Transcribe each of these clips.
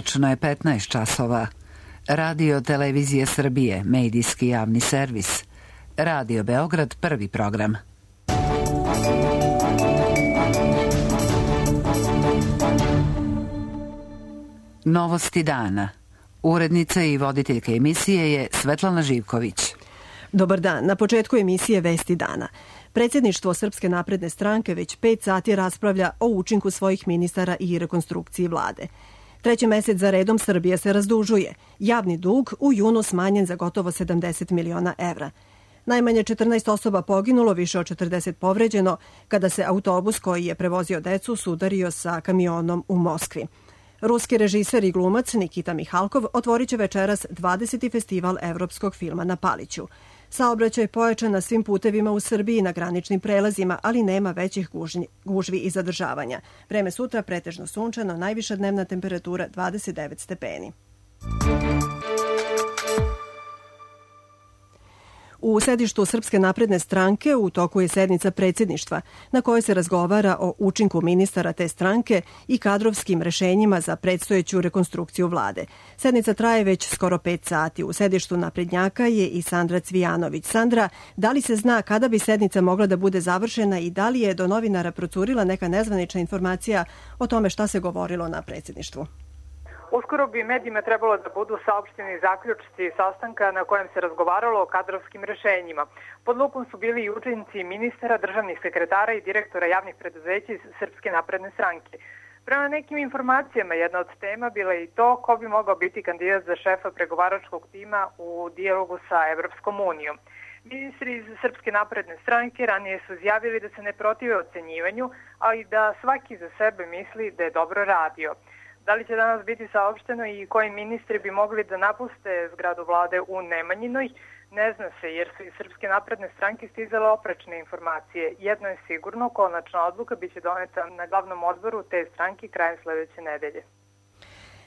Tačno je 15 časova. Radio Televizije Srbije, medijski javni servis. Radio Beograd, prvi program. Novosti dana. Urednica i voditeljka emisije je Svetlana Živković. Dobar dan. Na početku emisije Vesti dana. Predsjedništvo Srpske napredne stranke već 5 sati raspravlja o učinku svojih ministara i rekonstrukciji vlade. 3. mesec za redom Srbija se razdužuje. Javni dug u junu smanjen za gotovo 70 miliona evra. Najmanje 14 osoba poginulo, više od 40 povređeno, kada se autobus koji je prevozio decu sudario sa kamionom u Moskvi. Ruski režiser i glumac Nikita Mihalkov otvorit će večeras 20. festival evropskog filma na Paliću. Saobraćaj pojačan na svim putevima u Srbiji na graničnim prelazima, ali nema većih gužvi i zadržavanja. Vreme sutra pretežno sunčano, najviša dnevna temperatura 29 stepeni. U sedištu Srpske napredne stranke u toku je sednica predsjedništva na kojoj se razgovara o učinku ministara te stranke i kadrovskim rešenjima za predstojeću rekonstrukciju vlade. Sednica traje već skoro 5 sati. U sedištu naprednjaka je i Sandra Cvijanović. Sandra, da li se zna kada bi sednica mogla da bude završena i da li je do novinara procurila neka nezvanična informacija o tome šta se govorilo na predsjedništvu? Uskoro bi medijima trebalo da budu saopšteni zaključci sastanka na kojem se razgovaralo o kadrovskim rešenjima. Pod lupom su bili i učinci ministara, državnih sekretara i direktora javnih preduzeća iz Srpske napredne stranke. Prema nekim informacijama jedna od tema bila je i to ko bi mogao biti kandidat za šefa pregovaračkog tima u dijalogu sa Evropskom unijom. Ministri iz Srpske napredne stranke ranije su izjavili da se ne protive ocenjivanju, ali da svaki za sebe misli da je dobro radio. Da li će danas biti saopšteno i koji ministri bi mogli da napuste zgradu vlade u Nemanjinoj? Ne zna se, jer su iz Srpske napredne stranke stizale oprečne informacije. Jedno je sigurno, konačna odluka biće doneta na glavnom odboru te stranke krajem sledeće nedelje.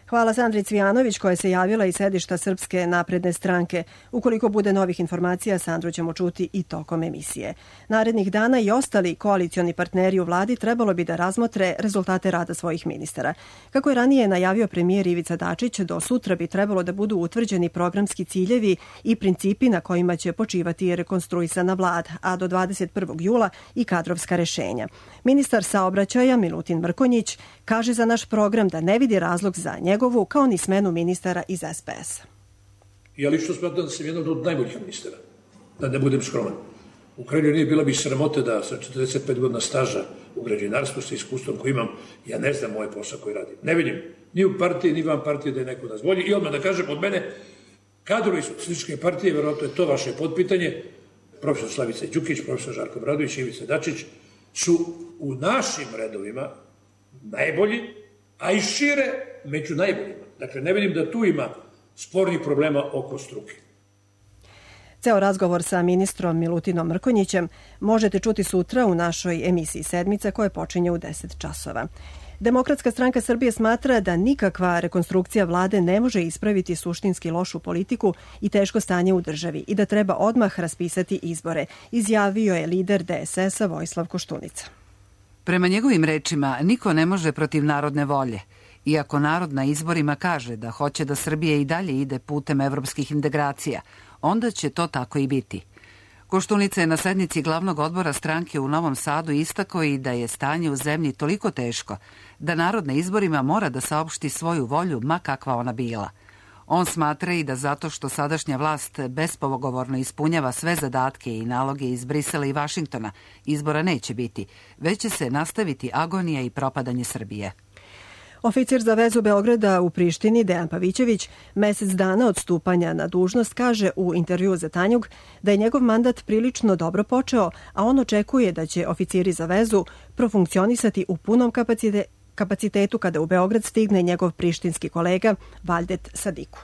Hvala Sandri Cvijanović koja se javila iz sedišta Srpske napredne stranke. Ukoliko bude novih informacija, Sandru ćemo čuti i tokom emisije. Narednih dana i ostali koalicioni partneri u vladi trebalo bi da razmotre rezultate rada svojih ministara. Kako je ranije najavio premijer Ivica Dačić, do sutra bi trebalo da budu utvrđeni programski ciljevi i principi na kojima će počivati rekonstruisana vlada, a do 21. jula i kadrovska rešenja. Ministar saobraćaja Milutin Mrkonjić kaže za naš program da ne vidi razlog za njegovu kao ni smenu ministara iz SPS-a. Ja lično smatram da sam jedan od najboljih ministara, da ne budem skroman. U krajnjoj liniji bila bi sramota da sa 45 godina staža u građevinarstvu sa iskustvom koji imam, ja ne znam moj posao koji radim. Ne vidim ni u partiji, ni van partije da je neko nas bolji. I odmah da kažem od mene, kadrovi Socijalističke partije, verovatno je to vaše podpitanje, profesor Slavica Đukić, profesor Žarko Obradović i Ivica Dačić, su u našim redovima najbolji, a i šire među najboljima. Dakle, ne vidim da tu ima spornih problema oko struke. Ceo razgovor sa ministrom Milutinom Mrkonjićem možete čuti sutra u našoj emisiji Sedmica koja počinje u 10 časova. Demokratska stranka Srbije smatra da nikakva rekonstrukcija vlade ne može ispraviti suštinski lošu politiku i teško stanje u državi i da treba odmah raspisati izbore, izjavio je lider DSS-a Vojislav Koštunica. Prema njegovim rečima, niko ne može protiv narodne volje. Iako narod na izborima kaže da hoće da Srbija i dalje ide putem evropskih integracija, onda će to tako i biti. Koštunica je na sednici glavnog odbora stranke u Novom Sadu istakao i da je stanje u zemlji toliko teško da narod na izborima mora da saopšti svoju volju, ma kakva ona bila. On smatra i da zato što sadašnja vlast bespogovorno ispunjava sve zadatke i naloge iz Brisela i Vašingtona, izbora neće biti, već će se nastaviti agonija i propadanje Srbije. Oficir za vezu Beograda u Prištini, Dejan Pavićević, mesec dana od stupanja na dužnost, kaže u intervjuu za Tanjug da je njegov mandat prilično dobro počeo, a on očekuje da će oficiri za vezu profunkcionisati u punom kapacitetu kada u Beograd stigne njegov prištinski kolega Valdet Sadiku.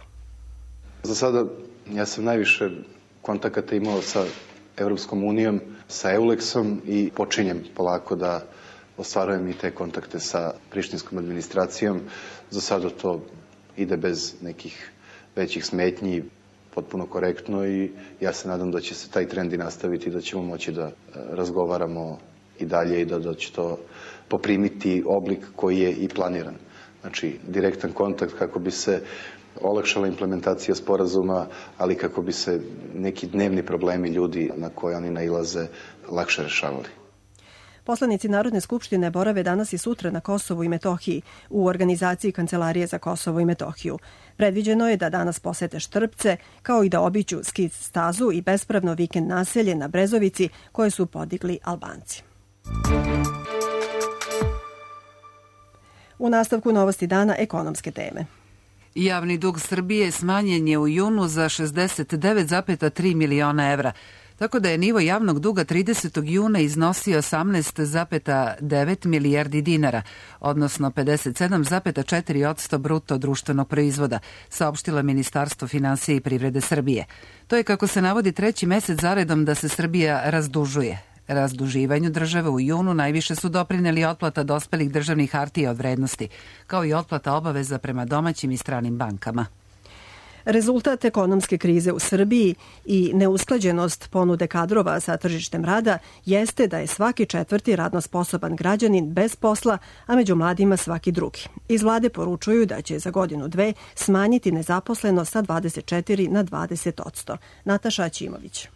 Za sada ja sam najviše kontakata imao sa Evropskom unijom, sa Euleksom i počinjem polako da ostvarujem i te kontakte sa prištinskom administracijom. Za sada to ide bez nekih većih smetnji, potpuno korektno i ja se nadam da će se taj trend i nastaviti, da ćemo moći da razgovaramo i dalje i da će to poprimiti oblik koji je i planiran. znači direktan kontakt kako bi se olakšala implementacija sporazuma, ali kako bi se neki dnevni problemi ljudi na koje oni nailaze lakše rešavali. Poslanici Narodne skupštine borave danas i sutra na Kosovu i Metohiji u organizaciji Kancelarije za Kosovo i Metohiju. Predviđeno je da danas posete Štrpce, kao i da obiđu ski stazu i bespravno vikend naselje na Brezovici koje su podigli Albanci. U nastavku novosti dana ekonomske teme. Javni dug Srbije smanjen je u junu za 69,3 miliona evra, tako da je nivo javnog duga 30. juna iznosio 18,9 milijardi dinara, odnosno 57,4% bruto društvenog proizvoda, saopštilo Ministarstvo finansija i privrede Srbije. To je, kako se navodi, treći mesec zaredom da se Srbija razdužuje. Razduživanju države u junu najviše su doprineli otplata dospelih državnih hartija od vrednosti, kao i otplata obaveza prema domaćim i stranim bankama. Rezultat ekonomske krize u Srbiji i neusklađenost ponude kadrova sa tržištem rada jeste da je svaki četvrti radno sposoban građanin bez posla, a među mladima svaki drugi. Iz vlade poručuju da će za godinu dve smanjiti nezaposlenost sa 24 na 20%. Nataša Aćimović.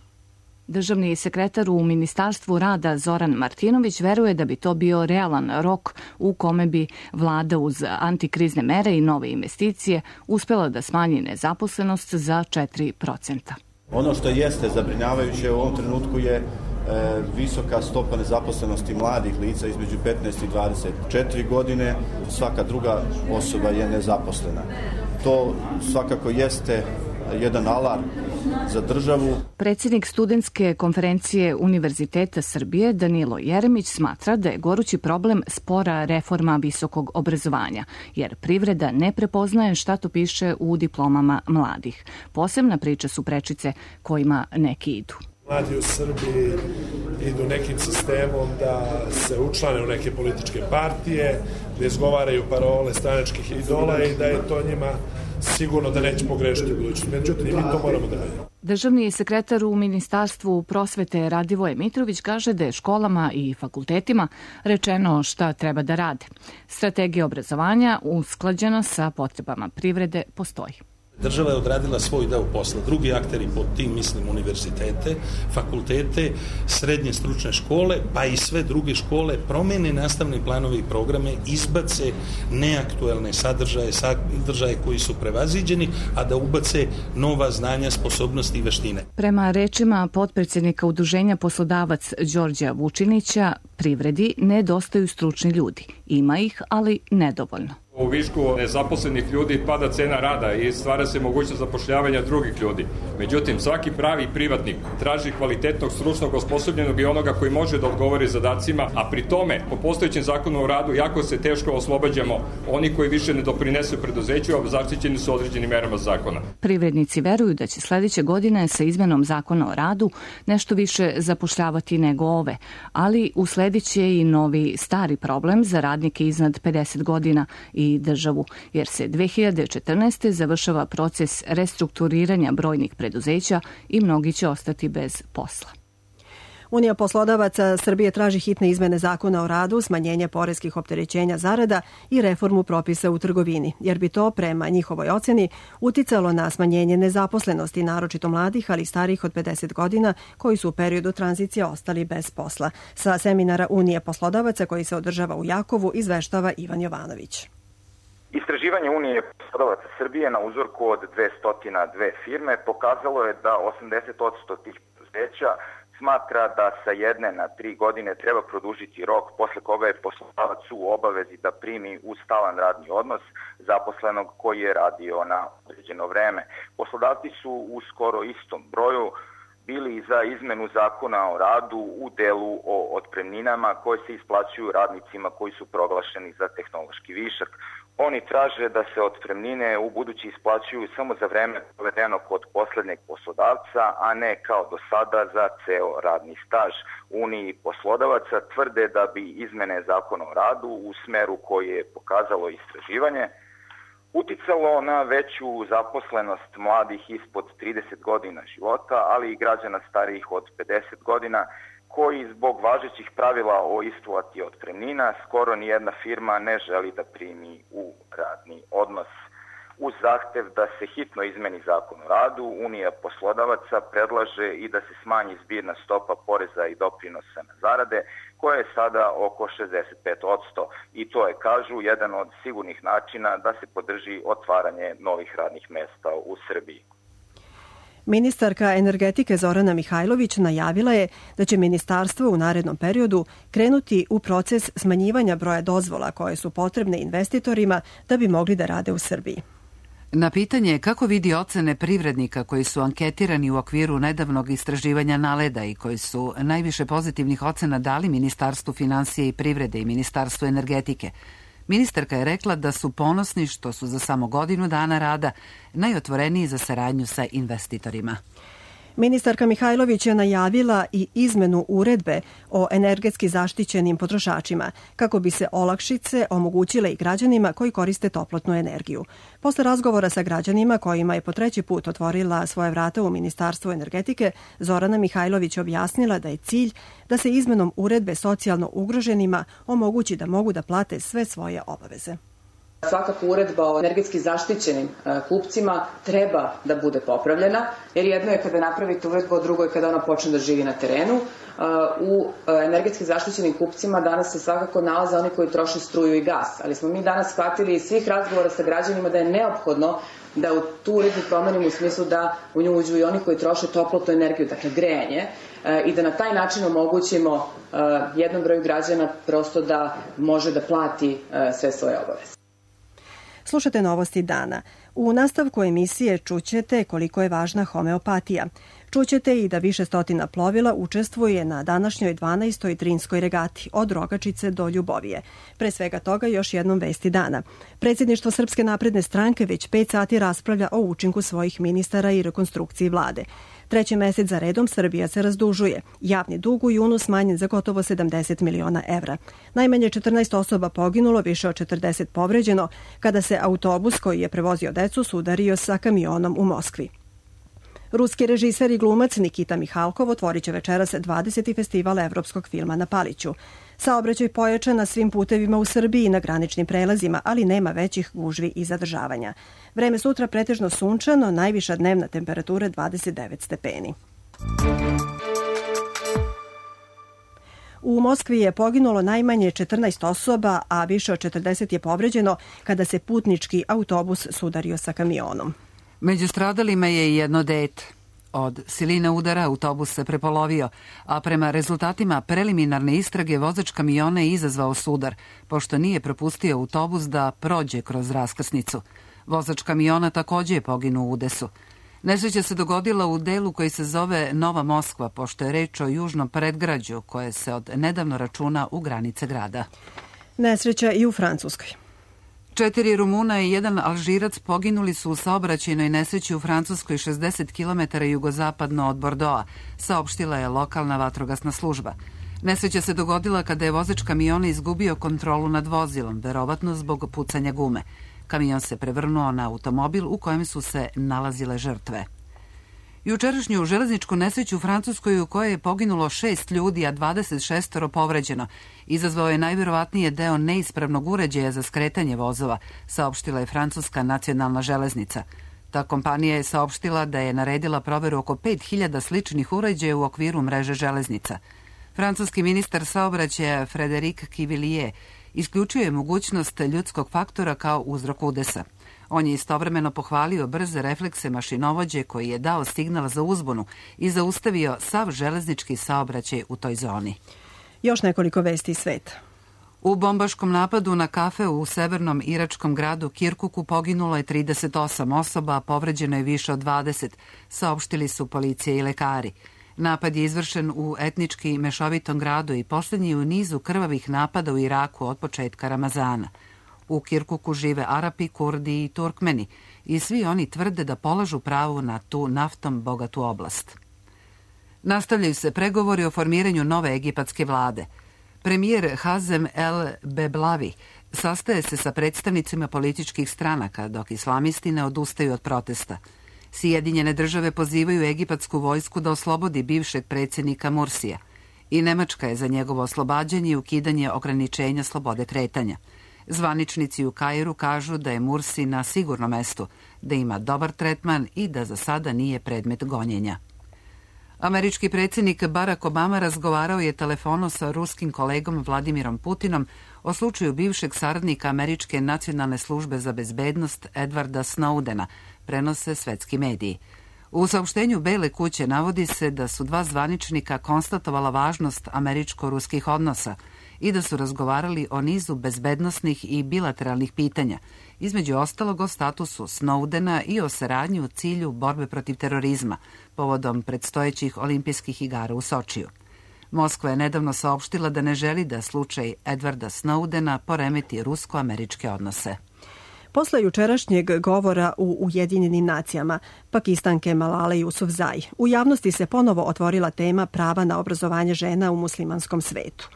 Državni sekretar u Ministarstvu rada Zoran Martinović veruje da bi to bio realan rok u kome bi vlada uz antikrizne mere i nove investicije uspela da smanji nezaposlenost za 4%. Ono što jeste zabrinjavajuće u ovom trenutku je visoka stopa nezaposlenosti mladih lica između 15 i 24 godine. Svaka druga osoba je nezaposlena. To svakako jeste jedan alarm za državu. Predsjednik Studentske konferencije Univerziteta Srbije Danilo Jeremić smatra da je gorući problem spora reforma visokog obrazovanja, jer privreda ne prepoznaje šta to piše u diplomama mladih. Posebna priča su prečice kojima neki idu. Mladi u Srbiji idu nekim sistemom da se učlane u neke političke partije, da izgovaraju parole stranačkih idola i da je to njima sigurno da neće pogrešiti u budućnosti. Međutim, mi to moramo da radimo. Državni sekretar u Ministarstvu prosvete Radivoje Mitrović kaže da je školama i fakultetima rečeno šta treba da rade. Strategija obrazovanja usklađena sa potrebama privrede postoji. Država je odradila svoj deo posla. Drugi akteri pod tim mislim univerzitete, fakultete, srednje stručne škole, pa i sve druge škole promene nastavne planove i programe, izbace neaktuelne sadržaje koji su prevaziđeni, a da ubace nova znanja, sposobnosti i veštine. Prema rečima potpredsjednika Udruženja poslodavac Đorđa Vučinića, privredi nedostaju stručni ljudi. Ima ih, ali nedovoljno. U višku nezaposlenih ljudi pada cena rada i stvara se mogućnost zapošljavanja drugih ljudi. Međutim, svaki pravi privatnik traži kvalitetnog, stručnog, osposobljenog i onoga koji može da odgovori zadacima, a pri tome, po postojećem zakonu o radu, jako se teško oslobađamo oni koji više ne doprinesu preduzeću, a zaštićeni su određenim merama zakona. Privrednici veruju da će sledeće godine sa izmenom zakona o radu nešto više zapošljavati nego ove, ali usledeće i novi stari problem za radnike iznad 50 godina i državu, jer se 2014. završava proces restrukturiranja brojnih preduzeća i mnogi će ostati bez posla. Unija poslodavaca Srbije traži hitne izmene zakona o radu, smanjenje poreskih opterećenja zarada i reformu propisa u trgovini, jer bi to, prema njihovoj oceni, uticalo na smanjenje nezaposlenosti, naročito mladih, ali starih od 50 godina, koji su u periodu tranzicije ostali bez posla. Sa seminara Unije poslodavaca koji se održava u Jakovu izveštava Ivan Jovanović. Istraživanje Unije poslodavaca Srbije na uzorku od 202 firme pokazalo je da 80% tih preduzeća smatra da sa 1 na 3 godine treba produžiti rok posle koga je poslodavac u obavezi da primi u stalan radni odnos zaposlenog koji je radio na određeno vreme. Poslodavci su u skoro istom broju bili za izmenu zakona o radu u delu o otpremninama koje se isplaćuju radnicima koji su proglašeni za tehnološki višak. Oni traže da se otpremnine u budući isplaćuju samo za vreme provedeno kod poslednjeg poslodavca, a ne kao do sada za ceo radni staž. Uniji poslodavaca tvrde da bi izmene zakona o radu u smeru koji je pokazalo istraživanje uticalo na veću zaposlenost mladih ispod 30 godina života, ali i građana starijih od 50 godina koji zbog važećih pravila o isplati otpremnina skoro ni jedna firma ne želi da primi u radni odnos. Uz zahtev da se hitno izmeni zakon o radu, Unija poslodavaca predlaže i da se smanji zbirna stopa poreza i doprinosa na zarade, koja je sada oko 65%. I to je, kažu, jedan od sigurnih načina da se podrži otvaranje novih radnih mesta u Srbiji. Ministarka energetike Zorana Mihajlović najavila je da će ministarstvo u narednom periodu krenuti u proces smanjivanja broja dozvola koje su potrebne investitorima da bi mogli da rade u Srbiji. Na pitanje kako vidi ocene privrednika koji su anketirani u okviru nedavnog istraživanja Naleda i koji su najviše pozitivnih ocena dali Ministarstvu finansije i privrede i Ministarstvu energetike, ministarka je rekla da su ponosni što su za samo godinu dana rada najotvoreniji za saradnju sa investitorima. Ministarka Mihajlović je najavila i izmenu uredbe o energetski zaštićenim potrošačima kako bi se olakšice omogućile i građanima koji koriste toplotnu energiju. Posle razgovora sa građanima kojima je po treći put otvorila svoje vrata u Ministarstvu energetike, Zorana Mihajlović objasnila da je cilj da se izmenom uredbe socijalno ugroženima omogući da mogu da plate sve svoje obaveze. Svakako uredba o energetski zaštićenim kupcima treba da bude popravljena, jer jedno je kada napravite uredbu, a drugo je kada ona počne da živi na terenu. U energetski zaštićenim kupcima danas se svakako nalaze oni koji troše struju i gas, ali smo mi danas shvatili iz svih razgovora sa građanima da je neophodno da u tu uredbu promenimo u smislu da u nju uđu i oni koji troše toplotnu energiju, dakle grejanje, i da na taj način omogućimo jednom broju građana prosto da može da plati sve svoje obaveze. Slušate Novosti dana. U nastavku emisije čućete koliko je važna homeopatija. Čućete i da više stotina plovila učestvuje na današnjoj 12. Drinskoj regati od Rogačice do Ljubovije. Pre svega toga još jednom vesti dana. Predsjedništvo Srpske napredne stranke već 5 sati raspravlja o učinku svojih ministara i rekonstrukciji vlade. Treći mesec za redom Srbija se razdužuje. Javni dug u junu smanjen za gotovo 70 miliona evra. Najmanje 14 osoba poginulo, više od 40 povređeno, kada se autobus koji je prevozio decu sudario sa kamionom u Moskvi. Ruski režiser i glumac Nikita Mihalkov otvorit će večeras 20. festival evropskog filma na Paliću. Saobraćaj pojačan na svim putevima u Srbiji i na graničnim prelazima, ali nema većih gužvi i zadržavanja. Vreme sutra pretežno sunčano, najviša dnevna temperatura 29 stepeni. U Moskvi je poginulo najmanje 14 osoba, a više od 40 je povređeno kada se putnički autobus sudario sa kamionom. Među stradalima je i jedno dete. Od siline udara autobus se prepolovio, a prema rezultatima preliminarne istrage vozač kamiona je izazvao sudar, pošto nije propustio autobus da prođe kroz raskrsnicu. Vozač kamiona takođe je poginuo u udesu. Nesreća se dogodila u delu koji se zove Nova Moskva, pošto je reč o južnom predgrađu koje se od nedavno računa u granice grada. Nesreća i u Francuskoj. 4 Rumuna i 1 Alžirac poginuli su u saobraćajnoj nesreći u Francuskoj 60 km jugozapadno od Bordoa, saopštila je lokalna vatrogasna služba. Nesreća se dogodila kada je vozač kamiona izgubio kontrolu nad vozilom, verovatno zbog pucanja gume. Kamion se prevrnuo na automobil u kojem su se nalazile žrtve. Jučerašnju železničku nesreću u Francuskoj u kojoj je poginulo 6 ljudi, a 26 povređeno, izazvao je najverovatnije deo neispravnog uređaja za skretanje vozova, saopštila je Francuska nacionalna železnica. Ta kompanija je saopštila da je naredila proveru oko 5000 sličnih uređaja u okviru mreže železnica. Francuski ministar saobraćaja Frédéric Quivilier isključuje mogućnost ljudskog faktora kao uzrok udesa. On je istovremeno pohvalio brze reflekse mašinovođe koji je dao signal za uzbunu i zaustavio sav železnički saobraćaj u toj zoni. Još nekoliko vesti iz sveta. U bombaškom napadu na kafe u severnom iračkom gradu Kirkuku poginulo je 38 osoba, a povređeno je više od 20, saopštili su policija i lekari. Napad je izvršen u etnički mešovitom gradu i poslednji u nizu krvavih napada u Iraku od početka Ramazana. U Kirkuku žive Arapi, Kurdi i Turkmeni i svi oni tvrde da polažu pravu na tu naftom bogatu oblast. Nastavljaju se pregovori o formiranju nove egipatske vlade. Premijer Hazem El Beblavi sastaje se sa predstavnicima političkih stranaka, dok islamisti ne odustaju od protesta. Sjedinjene države pozivaju egipatsku vojsku da oslobodi bivšeg predsjednika Mursija. i Nemačka je za njegovo oslobađanje i ukidanje ograničenja slobode kretanja. Zvaničnici u Kairu kažu da je Mursi na sigurnom mestu, da ima dobar tretman i da za sada nije predmet gonjenja. Američki predsjednik Barack Obama razgovarao je telefonom sa ruskim kolegom Vladimirom Putinom o slučaju bivšeg saradnika Američke nacionalne službe za bezbednost Edwarda Snowdena, prenose svetski mediji. U saopštenju Bele kuće navodi se da su dva zvaničnika konstatovala važnost američko-ruskih odnosa i da su razgovarali o nizu bezbednosnih i bilateralnih pitanja, između ostalog o statusu Snowdena i o saradnji u cilju borbe protiv terorizma, povodom predstojećih olimpijskih igara u Sočiju. Moskva je nedavno saopštila da ne želi da slučaj Edwarda Snowdena poremeti rusko-američke odnose. Posle jučerašnjeg govora u Ujedinjenim nacijama, Pakistanke Malale Yousafzai, u javnosti se ponovo otvorila tema prava na obrazovanje žena u muslimanskom svetu.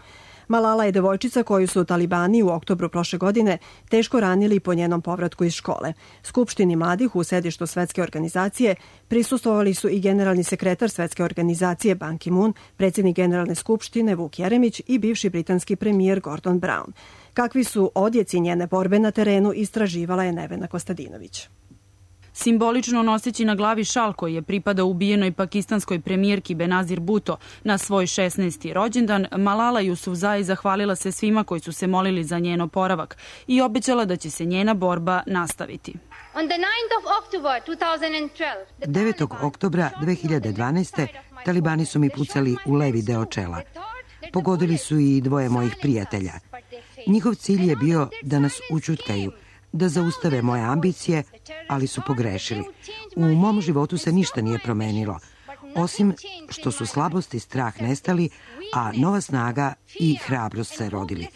Malala je devojčica koju su talibani u oktobru prošle godine teško ranili po njenom povratku iz škole. Skupštini mladih u sedištu Svetske organizacije prisustvovali su i generalni sekretar Svetske organizacije Ban Ki-moon, predsjednik Generalne skupštine Vuk Jeremić i bivši britanski premijer Gordon Brown. Kakvi su odjeci njene borbe na terenu, istraživala je Nevena Kostadinović. Simbolično noseći na glavi šal koji je pripadao ubijenoj pakistanskoj premijerki Benazir Bhutto na svoj 16. rođendan, Malala Yousafzai zahvalila se svima koji su se molili za njen oporavak i obećala da će se njena borba nastaviti. 9. oktobra 2012. talibani su mi pucali u levi deo čela. Pogodili su i dvoje mojih prijatelja. Njihov cilj je bio da nas ućutkaju, da zaustave moje ambicije, ali su pogrešili. U mom životu se ništa nije promenilo, osim što su slabost i strah nestali, a nova snaga i hrabrost se rodili.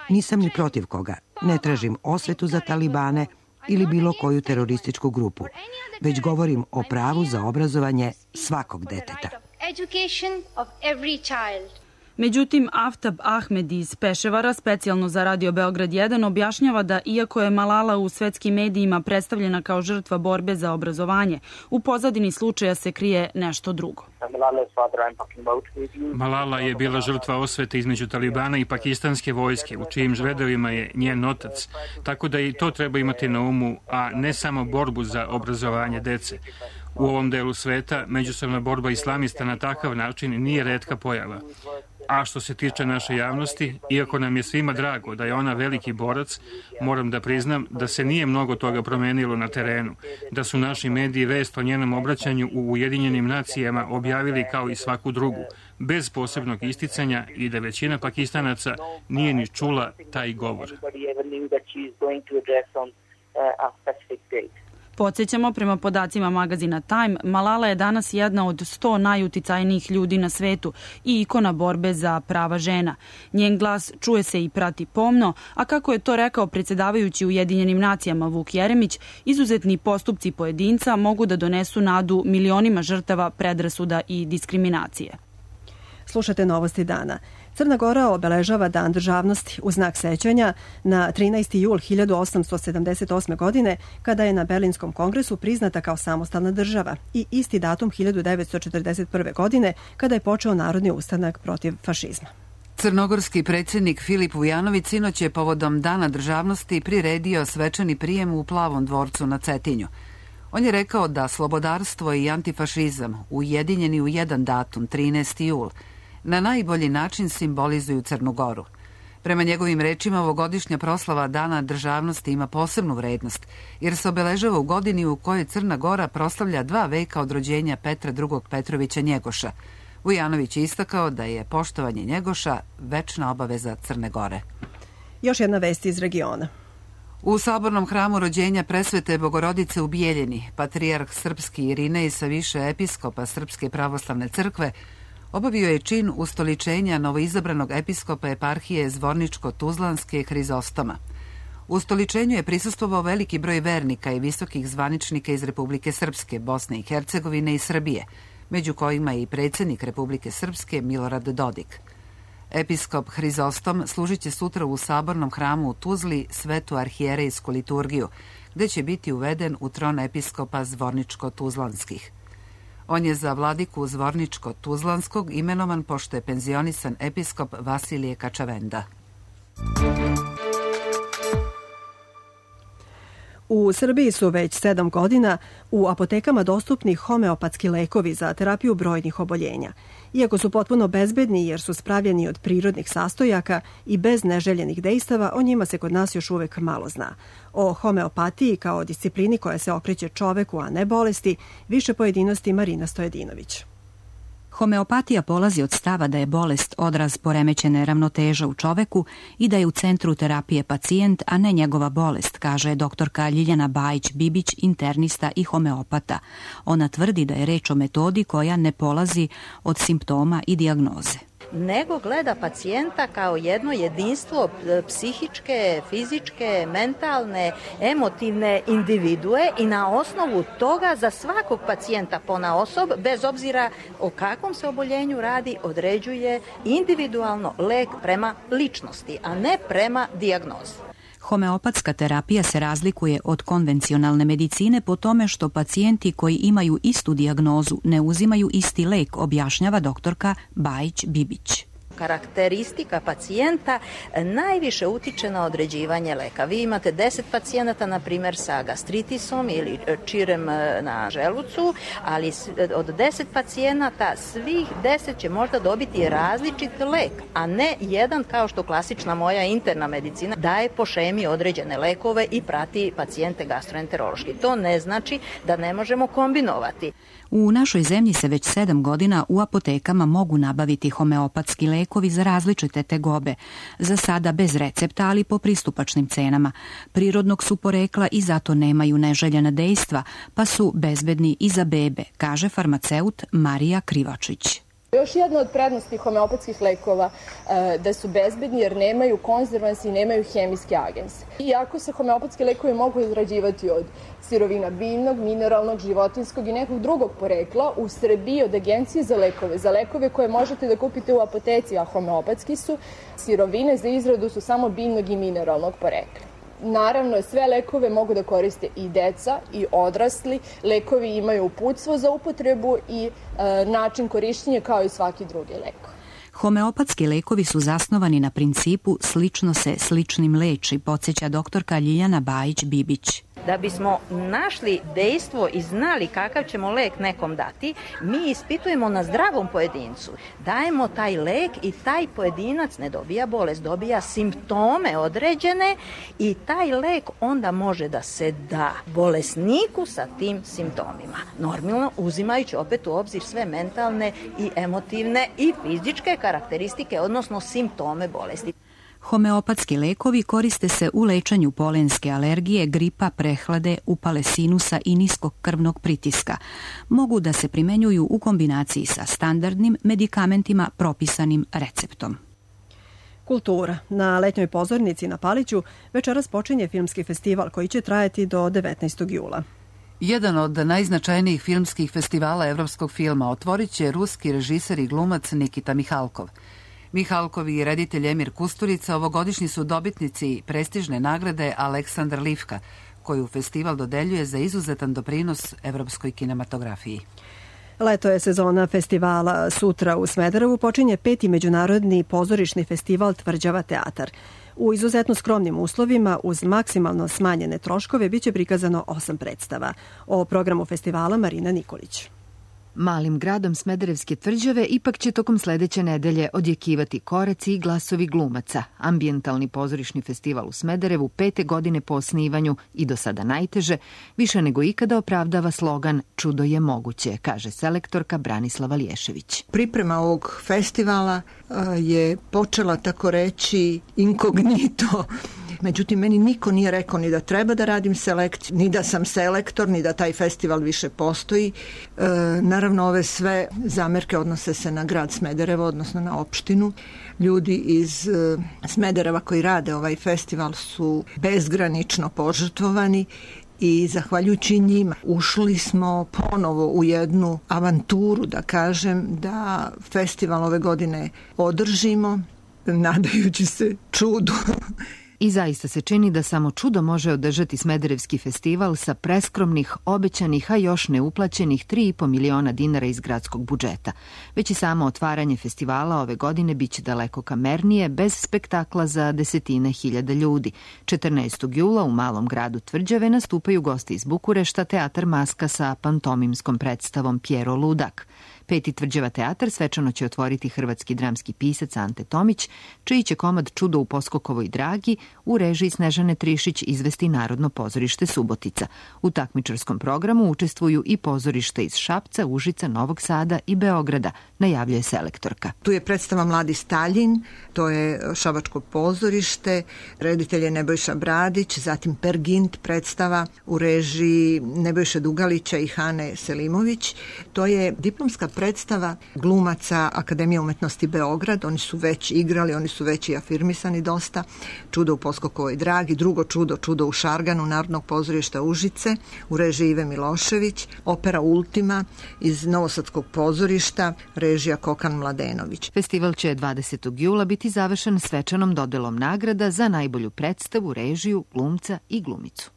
Nisam ni protiv koga, ne tražim osvetu za talibane ili bilo koju terorističku grupu, već govorim o pravu za obrazovanje svakog deteta. Međutim, Aftab Ahmed iz Peševara, specijalno za Radio Beograd 1, objašnjava da iako je Malala u svetskim medijima predstavljena kao žrtva borbe za obrazovanje, u pozadini slučaja se krije nešto drugo. Malala je bila žrtva osvete između talibana i pakistanske vojske, u čijim redovima je njen otac, tako da i to treba imati na umu, a ne samo borbu za obrazovanje dece. U ovom delu sveta međusobna borba islamista na takav način nije retka pojava. A što se tiče naše javnosti, iako nam je svima drago da je ona veliki borac, moram da priznam da se nije mnogo toga promenilo na terenu, da su naši mediji vest o njenom obraćanju u Ujedinjenim nacijama objavili kao i svaku drugu, bez posebnog isticanja i da većina Pakistanaca nije ni čula taj govor. Podsjećamo, prema podacima magazina Time, Malala je danas jedna od 100 najuticajnijih ljudi na svetu i ikona borbe za prava žena. Njen glas čuje se i prati pomno, a kako je to rekao predsjedavajući Ujedinjenim nacijama Vuk Jeremić, izuzetni postupci pojedinca mogu da donesu nadu milionima žrtava predrasuda i diskriminacije. Slušate Novosti dana. Crna Gora obeležava Dan državnosti u znak sećanja na 13. jul 1878. godine, kada je na Berlinskom kongresu priznata kao samostalna država, i isti datum 1941. godine, kada je počeo narodni ustanak protiv fašizma. Crnogorski predsjednik Filip Vujanović sinoć je povodom Dana državnosti priredio svečani prijem u Plavom dvorcu na Cetinju. On je rekao da slobodarstvo i antifašizam, ujedinjeni u jedan datum, 13. jul, na najbolji način simbolizuju Crnu Goru. Prema njegovim rečima, ovogodišnja proslava Dana državnosti ima posebnu vrednost, jer se obeležava u godini u kojoj Crna Gora proslavlja 2 veka od rođenja Petra II. Petrovića Njegoša. Vujanović je istakao da je poštovanje Njegoša večna obaveza Crne Gore. Još jedna vest iz regiona. U sabornom hramu rođenja presvete Bogorodice u Bijeljini, patrijarh srpski Irinej sa više episkopa Srpske pravoslavne crkve obavio je čin ustoličenja novoizabranog episkopa eparhije Zvorničko-Tuzlanske Hrizostoma. Ustoličenju je prisustvovao veliki broj vernika i visokih zvaničnika iz Republike Srpske, Bosne i Hercegovine i Srbije, među kojima je i predsjednik Republike Srpske Milorad Dodik. Episkop Hrizostom služit će sutra u sabornom hramu u Tuzli svetu arhijerejsku liturgiju, gde će biti uveden u tron episkopa Zvorničko-Tuzlanskih. On je za vladiku Zvorničko-Tuzlanskog imenovan pošto je penzionisan episkop Vasilije Kačavenda. U Srbiji su već 7 godina u apotekama dostupni homeopatski lekovi za terapiju brojnih oboljenja. Iako su potpuno bezbedni jer su spravljeni od prirodnih sastojaka i bez neželjenih dejstava, o njima se kod nas još uvek malo zna. O homeopatiji kao disciplini koja se okreće čoveku, a ne bolesti, više pojedinosti Marina Stojedinović. Homeopatija polazi od stava da je bolest odraz poremećene ravnoteže u čoveku i da je u centru terapije pacijent, a ne njegova bolest, kaže doktorka Ljiljana Bajić-Bibić, internista i homeopata. Ona tvrdi da je reč o metodi koja ne polazi od simptoma i dijagnoze, nego gleda pacijenta kao jedno jedinstvo psihičke, fizičke, mentalne, emotivne individue i na osnovu toga za svakog pacijenta ponaosob, bez obzira o kakvom se oboljenju radi, određuje individualno lek prema ličnosti, a ne prema dijagnozi. Homeopatska terapija se razlikuje od konvencionalne medicine po tome što pacijenti koji imaju istu dijagnozu ne uzimaju isti lek, objašnjava doktorka Bajić-Bibić. Karakteristika pacijenta najviše utiče na određivanje leka. Vi imate 10 pacijenata, na primjer, sa gastritisom ili čirem na želucu, ali od 10 pacijenata svih 10 će možda dobiti različit lek, a ne jedan kao što klasična moja interna medicina daje po šemi određene lekove i prati pacijente gastroenterološki. To ne znači da ne možemo kombinovati. U našoj zemlji se već 7 godina u apotekama mogu nabaviti homeopatski lekovi za različite tegobe, za sada bez recepta, ali po pristupačnim cenama. Prirodnog su porekla i zato nemaju neželjena dejstva, pa su bezbedni i za bebe, kaže farmaceut Marija Krivačić. Još jedna od prednosti homeopatskih lekova da su bezbedni jer nemaju konzervansi i nemaju hemijski agens. Iako se homeopatski lekovi mogu izrađivati od sirovina biljnog, mineralnog, životinskog i nekog drugog porekla, u Srbiji od Agencije za lekove koje možete da kupite u apoteci, a homeopatski su, sirovine za izradu su samo biljnog i mineralnog porekla. Naravno, sve lekove mogu da koriste i deca i odrasli. Lekovi imaju uputstvo za upotrebu i način korišćenja kao i svaki drugi lek. Homeopatski lekovi su zasnovani na principu slično se sličnim leči, podsjeća doktorka Ljiljana Bajić-Bibić. Da bismo našli dejstvo i znali kakav ćemo lek nekom dati, mi ispitujemo na zdravom pojedincu. Dajemo taj lek i taj pojedinac ne dobija bolest, dobija simptome određene i taj lek onda može da se da bolesniku sa tim simptomima. Normalno uzimajući opet u obzir sve mentalne i emotivne i fizičke karakteristike, odnosno simptome bolesti. Homeopatski lekovi koriste se u lečenju polenske alergije, gripa, prehlade, upale sinusa i niskog krvnog pritiska. Mogu da se primenjuju u kombinaciji sa standardnim medikamentima propisanim receptom. Kultura. Na letnjoj pozornici na Paliću večeras počinje filmski festival koji će trajati do 19. jula. Jedan od najznačajnijih filmskih festivala evropskog filma otvorit će ruski režiser i glumac Nikita Mihalkov. Mihalkov i reditelj Emir Kusturica ovogodišnji su dobitnici prestižne nagrade Aleksandar Livka, koju festival dodeljuje za izuzetan doprinos evropskoj kinematografiji. Leto je sezona festivala. Sutra u Smederevu počinje 5. međunarodni pozorišni festival Tvrđava teatar. U izuzetno skromnim uslovima, uz maksimalno smanjene troškove, biće prikazano 8 predstava. O programu festivala Marina Nikolić. Malim gradom Smederevske Tvrđave ipak će tokom sledeće nedelje odjekivati koraci i glasovi glumaca. Ambijentalni pozorišni festival u Smederevu 5. godine po osnivanju i do sada najteže, više nego ikada opravdava slogan "Čudo je moguće", kaže selektorka Branislava Lješević. Priprema ovog festivala je počela, tako reći, inkognito. Međutim, meni niko nije rekao ni da treba da radim selekciju, ni da sam selektor, ni da taj festival više postoji. Naravno, ove sve zamerke odnose se na grad Smederevo, odnosno na opštinu. Ljudi iz Smedereva koji rade ovaj festival su bezgranično požrtvovani i zahvaljujući njima ušli smo ponovo u jednu avanturu, da kažem, da festival ove godine održimo, nadajući se čudu. I zaista se čini da samo čudo može održati Smederevski festival sa preskromnih, obećanih, a još neuplaćenih 3,5 miliona dinara iz gradskog budžeta. Već i samo otvaranje festivala ove godine biće daleko kamernije, bez spektakla za desetine hiljada ljudi. 14. jula u malom gradu Tvrđave nastupaju gosti iz Bukurešta, Teatar Maska sa pantomimskom predstavom Pjero Ludak. Peti Tvrđava teatar svečano će otvoriti hrvatski dramski pisac Ante Tomić, čiji će komad Čudo u Poskokovoj dragi u režiji Snežane Trišić izvesti Narodno pozorište Subotica. U takmičarskom programu učestvuju i pozorište iz Šapca, Užica, Novog Sada i Beograda, najavljuje selektorka. Tu je predstava Mladi Staljin, to je Šabačko pozorište, reditelj je Nebojša Bradić, zatim Pergint predstava u režiji Nebojše Dugalića i Hane Selimović. To je diplomska predstava glumaca Akademije umetnosti Beograd, oni su već igrali, oni su već i afirmisani dosta. Čudo u Poskokovoj dragi, drugo čudo, Čudo u Šarganu, Narodnog pozorišta Užice, u režiji Ive Milošević, opera Ultima iz Novosadskog pozorišta, režija Kokan Mladenović. Festival će 20. jula biti završen svečanom dodelom nagrada za najbolju predstavu, režiju, glumca i glumicu.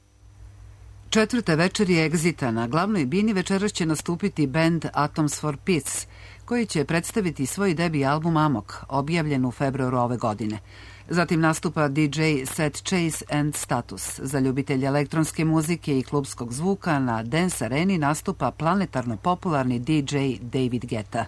Četvrte večeri Egzita na glavnoj bini večeras će nastupiti band Atoms for Peace, koji će predstaviti svoj debi album Amok, objavljen u februaru ove godine. Zatim nastupa DJ Set Chase and Status. Za ljubitelje elektronske muzike i klubskog zvuka na Dance Areni nastupa planetarno popularni DJ David Guetta.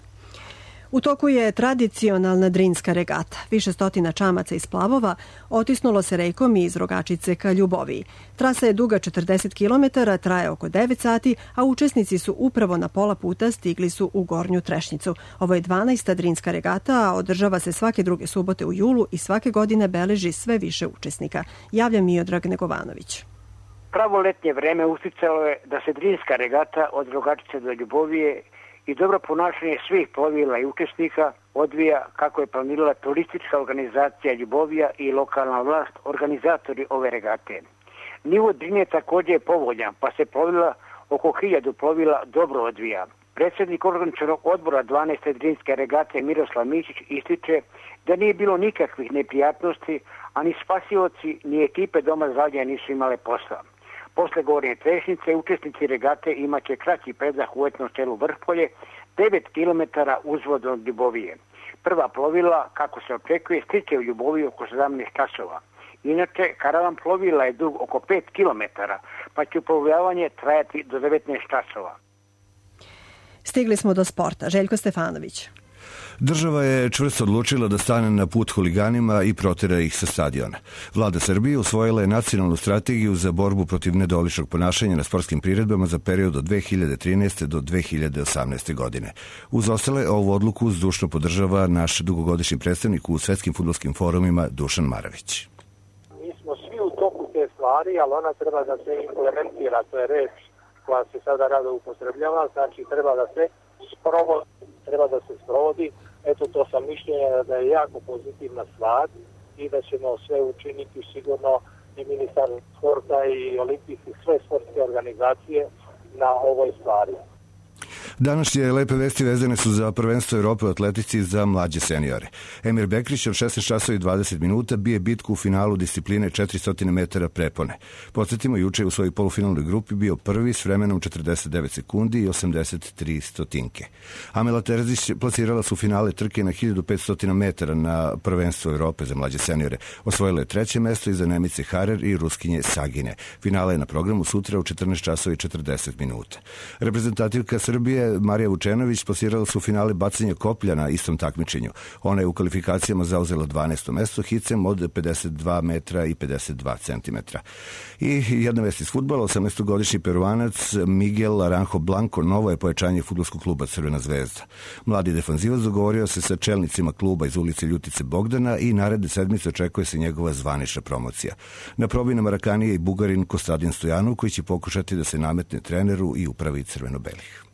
U toku je tradicionalna Drinska regata. Više stotina čamaca iz plavova otisnulo se rekom iz Rogačice ka Ljuboviji. Trasa je duga 40 km, traje oko 9 sati, a učesnici su upravo na pola puta stigli su u Gornju Trešnjicu. Ovo je 12. Drinska regata, a održava se svake druge subote u julu i svake godine beleži sve više učesnika. Javlja Miodrag Negovanović. Pravo letnje vreme usticalo je da se Drinska regata od Rogačice do Ljubovije i dobro ponašanje svih plovila i učesnika odvija kako je planirala turistička organizacija Ljubovija i lokalna vlast, organizatori ove regate. Nivo Drine također je povoljan, pa se plovila oko 1000 plovila dobro odvija. Predsjednik organizacionog odbora 12. Drinske regate Miroslav Mišić ističe da nije bilo nikakvih neprijatnosti, a ni spasioci ni ekipe Doma zdravlja nisu imale posla. Posle Gornje Trešnjice učesnici regate imaće kraći predah u etnom selu Vrhpolje, 9 km uzvod od Ljubovije. Prva plovila, kako se očekuje, stiče u Ljuboviju oko 17 časova. Inače, karavan plovila je dug oko 5 km, pa će uplovljavanje trajati do 19 časova. Stigli smo do sporta. Željko Stefanović. Država je čvrsto odlučila da stane na put huliganima i protera ih sa stadiona. Vlada Srbije usvojila je nacionalnu strategiju za borbu protiv nedoličnog ponašanja na sportskim priredbama za period od 2013. do 2018. godine. Uz ostale, ovu odluku zdušno podržava naš dugogodišnji predstavnik u svetskim fudbalskim forumima Dušan Maravić. Mi smo svi u toku te stvari, ali ona treba da se implementira, to je reč koja se sada rado upotrebljava, znači treba da se sprovodi. Eto, to sam mišljenja da je jako pozitivna stvar i da ćemo sve učiniti sigurno i ministar sporta i olimpijski, sve sportske organizacije na ovoj stvari. Današnje lepe vesti vezane su za prvenstvo Evrope u atletici za mlađe seniore. Emir Bekrić od 16 časova i 20 minuta bije bitku u finalu discipline 400 metara prepone. Podsjetimo, juče u svojoj polufinalnoj grupi bio prvi s vremenom 49 sekundi i 83 stotinke. Amela Terzić plasirala su finale trke na 1500 metara na prvenstvo Evrope za mlađe seniore. Osvojila je treće mesto iza Nemice Harer i Ruskinje Sagine. Finale je na programu sutra u 14 časova i 40 minuta. Reprezentativka Srbije Marija Vučenović plasirala su finale bacanja koplja na istom takmičenju. Ona je u kvalifikacijama zauzela 12. mesto hicem od 52 metra i 52 centimetra. I jedna vest iz fudbala, 18-godišnji Peruanac Miguel Aranjo Blanco novo je pojačanje fudbalskog kluba Crvena zvezda. Mladi defanzivac dogovorio se sa čelnicima kluba iz ulice Ljutice Bogdana i naredne sedmice očekuje se njegova zvanična promocija. Na probi na Marakani je i Bugarin Kostadin Stojanov koji će pokušati da se nametne treneru i upravi crveno-belih.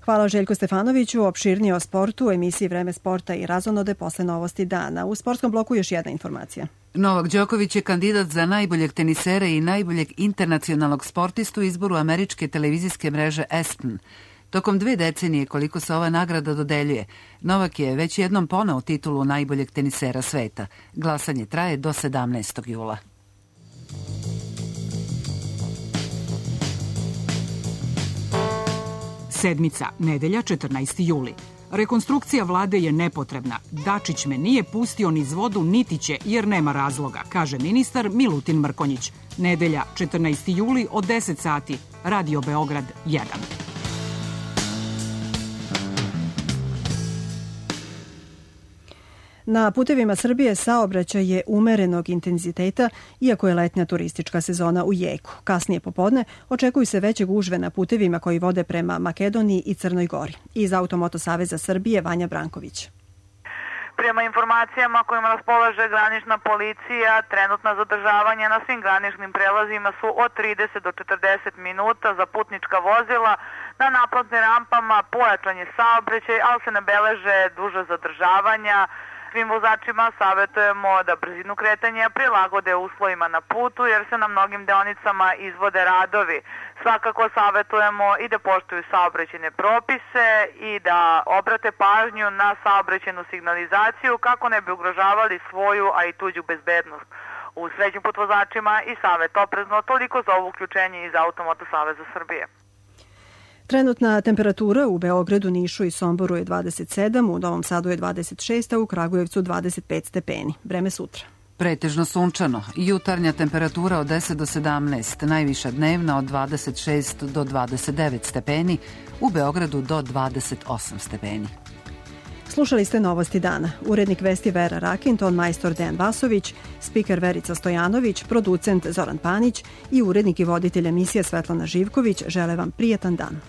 Hvala Željko Stefanoviću. Opširnije o sportu u emisiji Vreme sporta i razonode posle novosti dana. U sportskom bloku još jedna informacija. Novak Đoković je kandidat za najboljeg tenisera i najboljeg internacionalnog sportistu u izboru američke televizijske mreže ESPN. Tokom 2 decenije koliko se ova nagrada dodeljuje, Novak je već jednom poneo titulu najboljeg tenisera sveta. Glasanje traje do 17. jula. Sedmica, nedelja, 14. juli. Rekonstrukcija vlade je nepotrebna. Dačić me nije pustio niz vodu, niti će, jer nema razloga, kaže ministar Milutin Mrkonjić. Nedelja, 14. juli od 10 sati. Radio Beograd 1. Na putevima Srbije saobraćaj je umerenog intenziteta, iako je letnja turistička sezona u jeku. Kasnije popodne očekuju se veće gužve na putevima koji vode prema Makedoniji i Crnoj Gori. Iz Automoto Saveza Srbije Vanja Branković. Prema informacijama kojima raspolaže granična policija, trenutna zadržavanja na svim graničnim prelazima su od 30 do 40 minuta za putnička vozila. Na naplatnim rampama pojačan je saobraćaj, ali se ne beleže duže zadržavanja. Svim vozačima savjetujemo da brzinu kretanja prilagode uslovima na putu jer se na mnogim deonicama izvode radovi. Svakako savjetujemo i da poštuju saobraćajne propise i da obrate pažnju na saobraćajnu signalizaciju kako ne bi ugrožavali svoju, a i tuđu bezbednost. U srećnim put vozačima i savjet oprezno, toliko za ovo uključenje iz Automoto Saveza Srbije. Trenutna temperatura u Beogradu, Nišu i Somboru je 27, u Novom Sadu je 26, a u Kragujevcu 25 stepeni. Vreme sutra. Pretežno sunčano. Jutarnja temperatura od 10 do 17, najviša dnevna od 26 do 29 stepeni, u Beogradu do 28 stepeni. Slušali ste Novosti dana. Urednik vesti Vera Rakin, ton majstor Dejan Vasović, spiker Verica Stojanović, producent Zoran Panić i urednik i voditelj emisije Svetlana Živković žele vam prijetan dan.